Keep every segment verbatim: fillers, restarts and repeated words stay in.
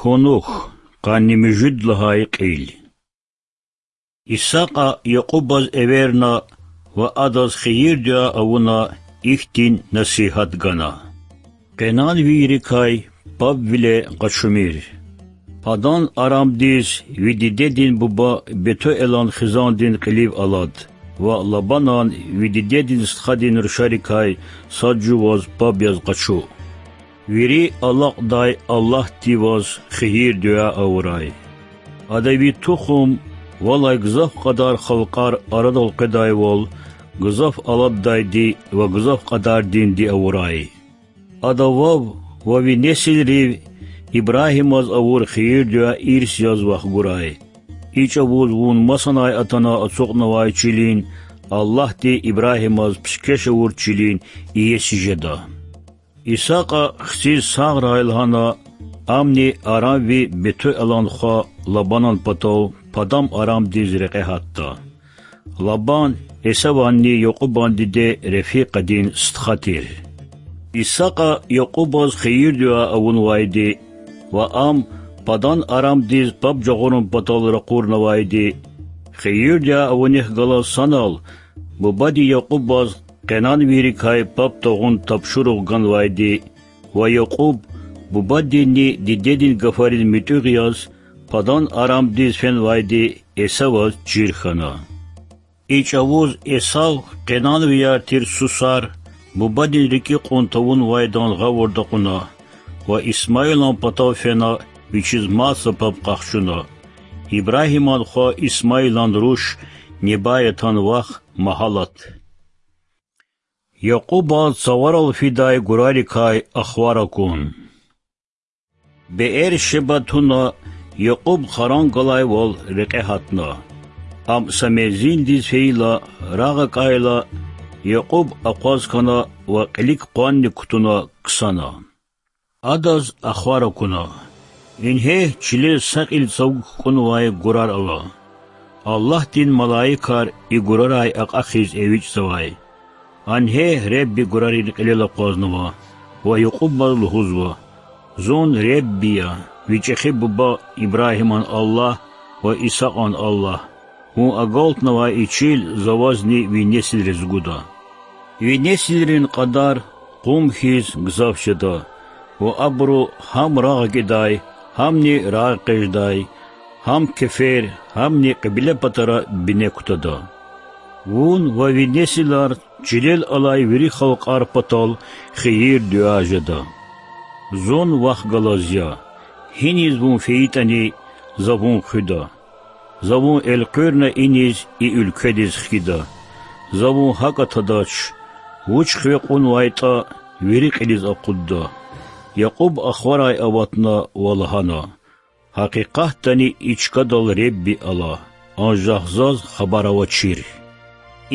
Кунух, къанни муьжуьд лагьай кьил. Исакьа Якьубаз эверна ва адаз хийир-дуьа авуна, ихьтин насигьат гана: Къенанвийрикай пабвиле къачумир. Падан-Арамдиз ви дидедин буба Бетуэлан хизандин кьилив алад ва Лабанан ви дидедин стхадин рушарикай сад жуваз паб яз къачу. Вири алакьдай Аллагьди ваз хийир-дуьа авурай. Ада ви тухум валай гзаф кьадар халкьар арадал къведайвал, гзаф алатдайди ва гзаф кьадардинди авурай. Ада вав ва ви несилрив Ибрагьимаз авур хийир-дуьа ирс яз вахгурай. И чӀавуз вун масанай атана ацукьнавай чилин, Аллагьди Ибрагьимаз пишкеш авур чилин иеси жеда. Исакьа хциз сагърай лагьана, амни арамви Бетуэлан хва Лабанан патав Падан-Арамдиз рекье гьатда. Лабан Эсаванни Якьубан диде Рефикьадин стха тир. Исакьа Якьубаз хийир-дуьа авунвайди ва ам Падан-Арамдиз паб жагъурун патал ракъурнавайди, хийир-дуьа авунихъ галаз санал бубади Якьубаз къенанвийрикай паб тагъун тапшуругъ ганвайди ва Якьуб бубадинни дидедин гафариз муьтӀуьгъ яз Падан-Арамдиз фенвайди Эсаваз чир хьана. И чӀавуз Эсав къенанвияр тир сусар бубадин рикӀи кьун тавунвайдан гъавурда кьуна ва Исмаилан патав фена, вичиз мад са паб къахчуна. Ибрагьиман хва Исмаилан руш Небаятан вах Магьалат. Якьубаз цаварал фидай гурарикай ахвар акун. Беэр-Шеба туна, Якьуб Харан галайвал рекье гьатна. Ам са мензилдиз фейила, рагъ акӀайла, Якьуб акъваз хьана ва кьилик къванни кутуна ксана. Адаз ахвар акуна: Ингье, чилел са кьил цавук хкӀунвай гурар ала. Аллагьдин малаикар и гурарай акьахиз эвичӀзавай. Ингье, Ребби гурарин кьилел акъвазнава ва Якьубаз лугьузва: Зун Ребби я, ви чӀехи буба Ибрагьиман Аллагь ва Исакьан Аллагь. Вун агалтнавай и чил За вазни ви несилриз гуда. Ви несилрин кьадар къум хьиз гзаф жеда, ва абуру гьам рагъ гидай, гьамни рагъэкъечӀдай, гьам кефер, гьамни кьибле патара бине кутада. Вун ва ви несилар чилел алай вири халкьар патал хийир-дуьа жеда. Зун вахъ галаз я, гьиниз вун фейитӀани, За вун хуьда. За вун элкъуьрна иниз и уьлкведиз хкида. За вун гьакӀа тадач, вуч хиве кьунвайтӀа, вири кьилиз акъудда. Якьуб ахварай аватна ва лагьана: Гьакъикъатдани и чкадал Ребби ала, анжах заз хабар авачир.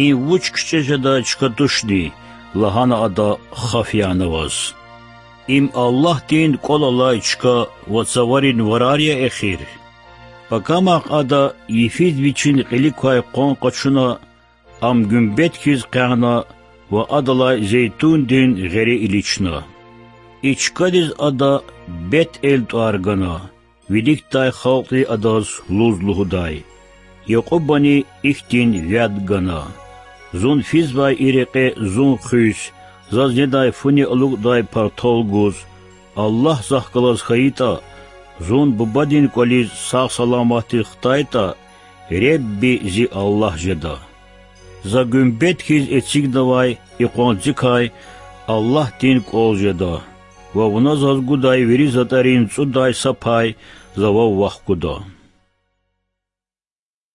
Им вуч кичӀе жедай чка тушни? Лагьана ада, хаф яна аваз. Им Аллагьдин кӀвал алай чка ва цаварин варар я эхир. Пакамахъ ада йифиз вичин кьилик квай къван къачуна, ам гуьмбет хьиз къягъна ва адалай зейтундин гъери илична. И чкадиз ада Бет-Эл тӀвар гана, виликдай халкьди адаз Луз лугьудай. Якьубани ихьтин вяд гана: Зун физвай и рекье зун хуьз, заз недай фуни алукӀдай партал гуз. Аллагь захъ галаз хьайитӀа, зун бубадин кӀвализ сагъ-саламатдиз хтайтӀа, Ребби зи Аллагь жеда. За гуьмбет хьиз эцигнавай и къванцикай Аллагьдин кӀвал жеда, ва вуна заз гудай вири затӀарин цӀудай са пай за вав вахкуда.